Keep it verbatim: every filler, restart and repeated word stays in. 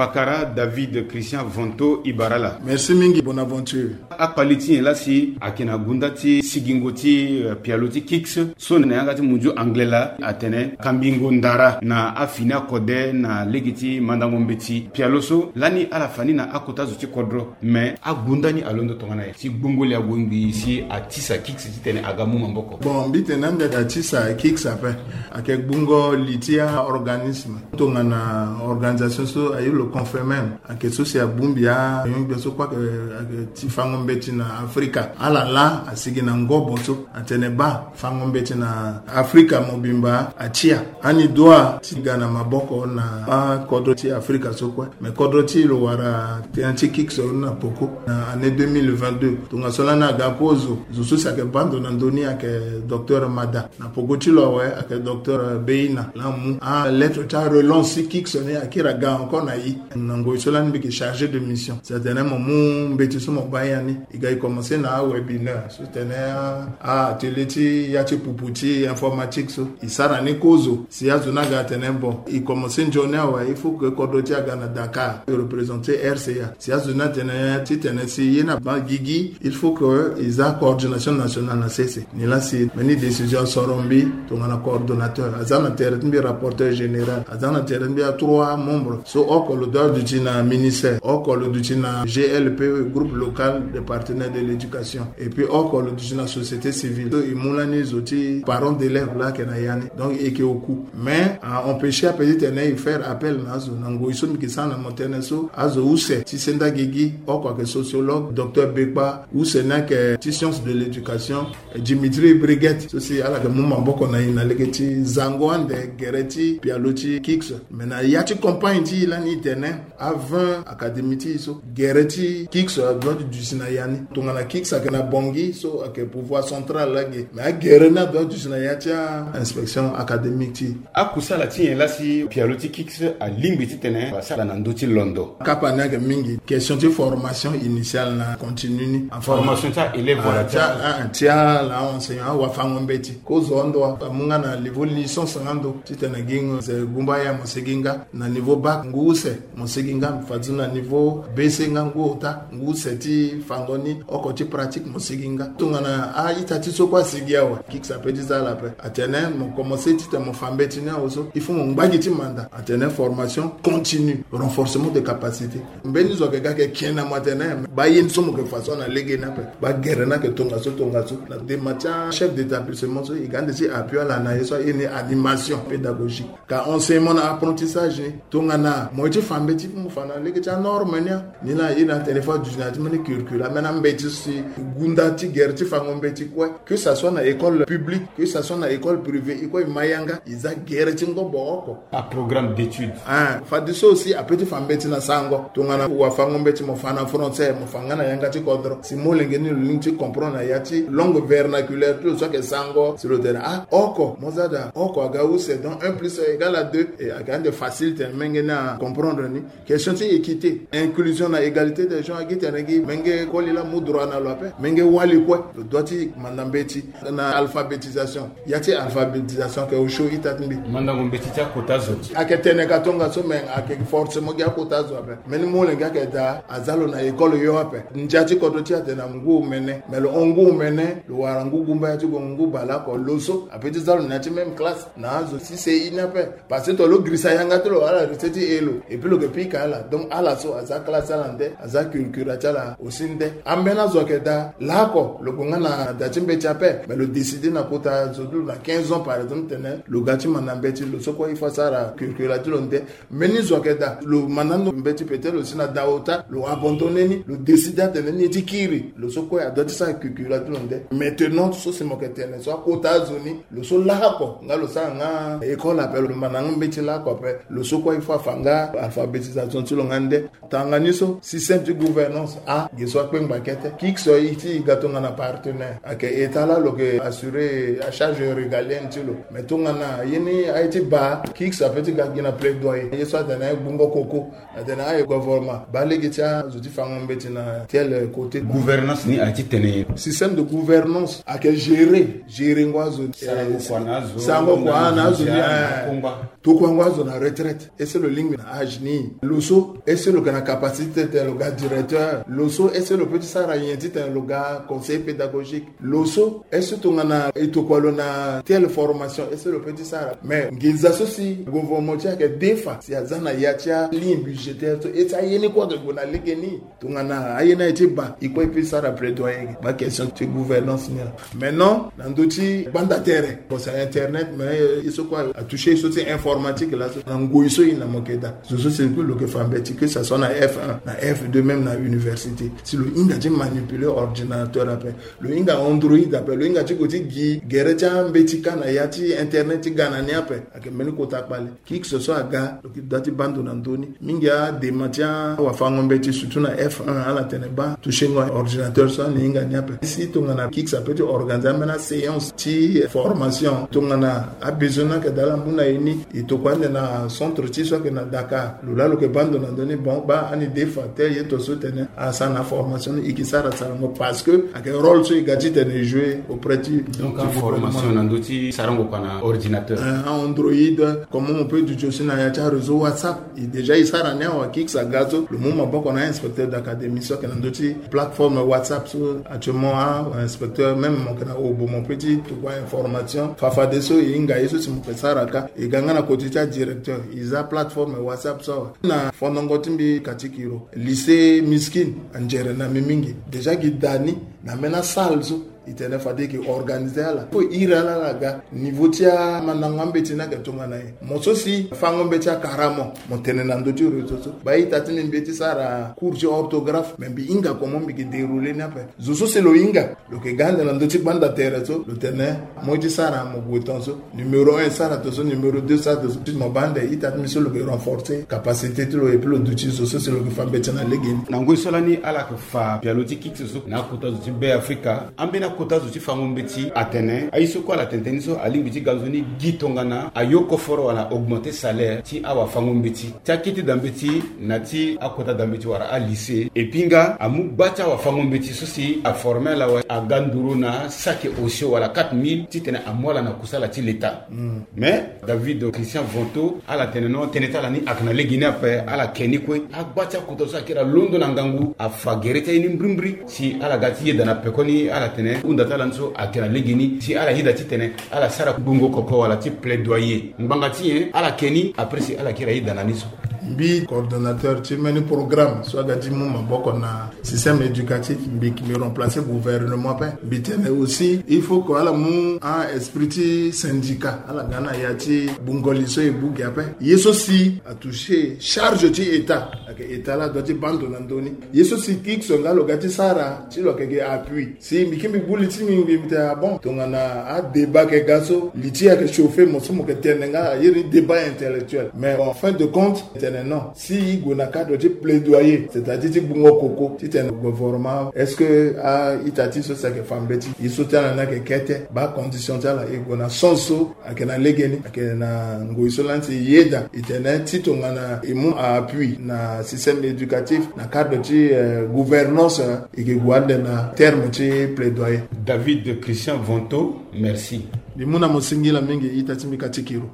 Pakara David Christian Vanto Ibarala. Merci mingi, Bonaventure. Akpali ti nyen laa si ayeke na gunda ti sigingo ti, eh, pialo ti Kiks so na yanga ti munzu anglais laa atene kambingo ndara na afini akode na lege ti mandango mbeti pialo so lani ala fa ni na akota zo ti kodro. Me agunda ni alondo tongana nyen si gbungo li ague ngbii si atisa Kiks titene aga mu maboko? Bon, mbi tene ande atisa Kiks ape. Ayeke gbungo li ti aorganisme tongana organisation so aye lo confirme. Ayeke so si abongbi ayongbi so kue ayeke, ayeke ti fango mbeti na Afrika. Ala laa asigi na ngobo so atene baa fango mbeti na Afrika mobimba atia. Ani doit ti ga na maboko na akodro ti Afrika so kue. Me kodro ti lo wara tënë ti Kiks na poko na année deux mille vingt-deux. Tongaso lani aga kozo, zo so si ayeke baa ndo na ndö ni ayeke docteur Mada. Na poko ti lo awe ayeke docteur Beina laa amu alettre ti arelance ti Kiks ni akiri aga encore na e. Na ngoi so lani mbi yeke chargé de mission. Si atene mo mu mbeti so mo baa ya ni. E ga e commencé na awebinaire so tene a, a atelier ti ya ti pupu ti informatique so. E sara ni kozo. Si azo ni aga atene bon, e commencé nzoni awe, il faut que kodro ti e aga na Dakar, e représenté R C A. Si azo ni atene titene si ye ni abaa gigi, il faut que e za coordination nationale na sese. Ni laa si mbeni décision asoro mbi tongana coordonnateur, aza na tere ti mbi rapporteur général, aza na tere ti mbi atroit membres. So oko lo doit duti na ministère, oko lo duti na G L P, groupe local des partenaires de l'éducation. Et puis oko lo duti na société civile. So e mu lani zo ti parents d'élèves laa ayeke na ya ni. Donc e yeke oku. Mais a empêché ape titene e faire appel na azo. Na ngoi so mbi yeke sara na mo tënë so, azo use ti senda gigi, oko ayeke sociologue, docteur Bekpa, use ni ayeke ti science de l'éducation, Dimitri Briguet so si ala yeke mu maboko na e na lege ti zango ande gere ti pialo ti Kiks. Mais na ya ti campagne ti e lani e tene a vingt académie ti e so, gere ti Kiks adoit ti duti na ya ni. Tongana Kiks ayeke na Bangui so ayeke pouvoir central laa ge. Mais agere ni adoit ti duti na ya ti a-inspection académique ti e. Akusala ti nyen laa si pialo ti Kiks alingbi titene asara na ndö ti londo? Kapa ni ayeke mingi. Question ti formation initiale na continue ni. Formation ti a-élève wala ti a, ti ala enseignant, awafango mbeti. Kozo ando amu nga na niveau licence nga ndo titene gi nze gumba ya mo sigi nga. Na niveau bac ngu use mo sigi nga, fade so na niveau B C nga ngu ota, ngu use ti fango ni oko ti pratique mo sigi nga. Tongana a-ita ti so kue asigi awe, Kiks ape ti za ala ape. Atene mo commencé titene mo fa mbeti ni awe so, il faut mo ngba gi ti manda. Atene formation continue, renforcement de capacité. Mbeni zo ayeke ga ayeke ken na mo atene, baa ye ni so mo yeke fa so na lege ni ape. Baa gere ni ayeke tongaso tongaso. Na dema ti achef d'établissement so, e ga ande ti appui ala na ye so aye ni animation pédagogique. Ka enseignement na apprentissage ni. Tongana mo ye ti fa mbeti, mo fa na lege ti anorme ni a. Ni laa e na téléphone du na ti mbeni curricula, ambeni ambeti so si gunda ti gere ti fango mbeti kue. Que ça soit na école publique, que ça soit na école privée, e kue e ma yanga, e za gere ti ngobo oko. Aprogramme d'étude. Ah, fadeso aussi ape ti fa mbeti na sango. Tongana wafango mbeti mo fa na français, mo fa nga na yanga ti kodro. Si molenge ni lo lingbi ti comprendre na ya ti langue vernaculaire ti lo so ayeke sango. Si lo tene ah, oko, mo za daa, oko aga use, donc un plus un égale à deux. E ayeke ande facile tene menge ni acomprendre ni. Question ti équité, inclusion na égalité des genres, agi tene gi menge koli laa amu droit na lo ape, menge wali kue. Lo doit ti manda mbeti na alphabétisation. Ya ti alphabétisation ayeke osio ita ti mbi. Mandango mbeti ti akota zo. Ayeke tene ka tongaso, me ayeke forcément gi akota zo ape. Mbeni molenge ayeke daa, aza lo na école yo ape. Ndia ti kodro ti e atene na ngu omene, me lo hon ngu omene, lo wara ngu gumba ya ti gongo ngu baleoko, lo so ape ti za lo na ya ti même classe na azo ti C I ni ape. Parce que to lo girisa yanga ti lo, ala reste ti e lo. Et puis lo yeke pika ala. Donc ala so aza classe ti ala nde, aza curricula ti ala aussi nde. Ambeni azo ayeke daa, laoko lo gue nga na da ti mbeti ape, mais lo décide na kota zo ti lo na quinze ans par exemple tene lo ga ti manda mbeti, lo so kue il faut asara curricula ti lo nde. Mbeni zo ayeke daa, lo manda ndo mbeti peut-être lo si na da ota, lo abandonné ni, lo décide atene ni ye ti kiri. Lo so kue adoit ti sara curricula ti lo nde. Maintenant so si mo yeke tene so akota azo ni, lo so laoko nga lo sara nga école ape, lo manda nga mbeti laoko ape. Lo so kue il faut afa nga alphabétisation ti lo nga nde. Tanga ni so, système ti gouvernance a, ge so akpengba kete. Kik so aye ti e ga tongana partenaire. Ayeke état laa lo yeke assurer acharge régalienne ti lo. Mais tongana ye ni aye ti baa, kik so ape ti ga gi na plaidoyer. Ye so atene aye gbungo koko. Atene aye gouvernement baa lege ti azo ti fango mbeti na tel côté. Gouvernance ni aye ti tene nyen? Système de gouvernance ayeke gérer, gérer ngo azo ni. Sarango kua na azo, sarango kua na azo ni, eh. Kongba. Tokuango azo na retraite, est-ce que lo lingbi na âge ni? Lo so, est-ce que lo yeke na capacité titene lo ga directeur? Lo so, est-ce que lo peut ti sara nyen titene lo ga conseiller pédagogique? Lo so, est-ce que tongana e tokua lo na telle formation, est-ce que lo peut ti sara? Mais nginza so si gouvernement ti ayeke defa si aza na ya ti aligne budgétaire so, e ti aye ni kue ayeke gue na legeni. Tongana aye ni aye ti baa, e kue e peut sara plaidoyer ge ba question ti gouvernance ni laa. Maintenant, na ndö ti gbanda tere, bon, c'est internet, mais, euh, ye so kue atouché ye so ti informatique laso. Na ngoi so e na mo yeke daa, zo so si kue lo yeke fa mbeti, que ça soit na F un, na F deux, même na université. Si lo hinga ti manipuler ordinateur ape, lo hinga Android ape, lo hinga ti gue ti gi gere ti ambeti kâ na ya ti internet ti ga na ni ape, ayeke mbeni kota kpale. Qui que ce soit aga, lo yeke daa ti baa ndo na ndö ni. Mingi adema ti awafango mbeti, surtout na F un, ala tene baa touchengo ordinateur so ani hinga ni ape. Si tongana qui que ça peut ti organiser ambeni aséance ti formation, tongana abesoin ni ayeke daa ala mu na e ni, e tokua ande na centre ti e so ayeke na Dakar. Lo laa lo yeke baa ndo na ndö ni, bon, baa ani defa tel ye to so tene asara na formation ni, e ke sara sarango, parce que ayeke rôle so e ga titene e jouer auprès ti, donc ti aformation gouvernement na ndö ti sarango kua na ordinateur. Euh, a Android, comment on peut duti aussi na ya ti aréseau WhatsApp. E déjà e sara ni awa, qui que ça aga so, lo mu maboko na inspecteur d'académie so ayeke na ndö ti plateforme WhatsApp so. Actuellement, a inspecteur, même mo yeke na Obo, mo peut ti tokua information. Fafadeso e hinga ye so si mo yeke sara kâ. E ga nga na côté ti adirecteur, e za plateforme WhatsApp so awa. Na fondongo ti mbi Katikiro, lycée Miskin anzere na mbi mingi. Déjà gi daa ni na ambeni asalle so e tene fade e ke organiser ala. Fo e iri ala ala ga. Niveau ti amandango ambeti ni ayeke tongana nyen? Mo so si fango mbeti akara mo, mo tene na ndö ti réseau so, baa ita ti mbi mbi ye ti sara cours ti orthographe, mais mbi hinga comment mbi ke dérouler ni ape. Zo so si lo hinga, lo yeke ga ande na ndö ti gbanda tere so, lo tene mo ye ti sara, mo gue ton so, numéro un sara ton so, numéro deux sara ton so. Ti mo baa ande ita ti mbi so lo yeke renforcer capacité ti lo, et puis lo duti zo so si lo yeke fa mbeti na legeni. Na ngoi so lani ala yeke fa pialo ti qui que ce soit na akota zo ti Be Afrika, ambeni akota zo ti fango mbeti atene aye so kue ala tene tënë ni so alingbi ti ga nzoni gi tongana ayo koforo wala augmenter salaire ti awafango mbeti, ti akete da mbeti na ti akota da mbeti wala alycée. Et puis nga amu gba ti awafango mbeti so si aformer ala awe aga nduru na saki osio wala quatre mille titene amu ala na kusala ti leta. Mais David Christian Vonto, ala tene non, tënë ti ala ni ayeke na legeni ape, ala ke ni kue. Agba ti akota so ayeke daa londo na ngangu afa gere ti aye ni mbrimbri si ala ga ti yeda na pekoni. Ala tene hunda ti ala ni so ayeke na legeni si ala yeda titene ala sara gbungo koko wala ti plaidoyer. Ngbanga ti nyen? Ala ke ni, après si ala yeke daa yeda na ni so. Mbi coordonnateur ti mbeni programme so aga ti mu maboko na système éducatif, mbi, mbi remplacer gouvernement ape. Mbi tene aussi il faut que ala mu a-esprit ti syndicat, ala ga na ya ti gbungo li so e bu gi ape. Ye so si atoucher charge ti État, ayeke État laa adoit ti baa ndo na ndö ni. Ye so si qui que ce soit nga lo ga ti sara, ti lo yeke gi appui. Si mbi kiri mbi gbu li ti mbi, mbi tene ah bon, tongana adébat ayeke ga so, li ti e ayeke chauffer, mo so mo yeke tene nga, a iri ni débat intellectuel. Mais en fin de compte, e tene non. Si e gue na cadre ti plaidoyer, c'est-à-dire ti gbungo koko, titene gouvernement, est-ce que a-ita ti e so si ayeke fa mbeti, ye so ti ala ni ayeke kete, baa condition ti ala, e gue na sens so ayeke na legeni, ayeke na ngoi so lani si e yeda, e tene ti tongana e mu appui na système éducatif, na cadre ti, euh, gouvernance, euh, e ke gue ande na terme ti plaidoyer. David Christian Vonto, merci. Mbi mu na mo singila mingi, ita ti mbi Katikiro.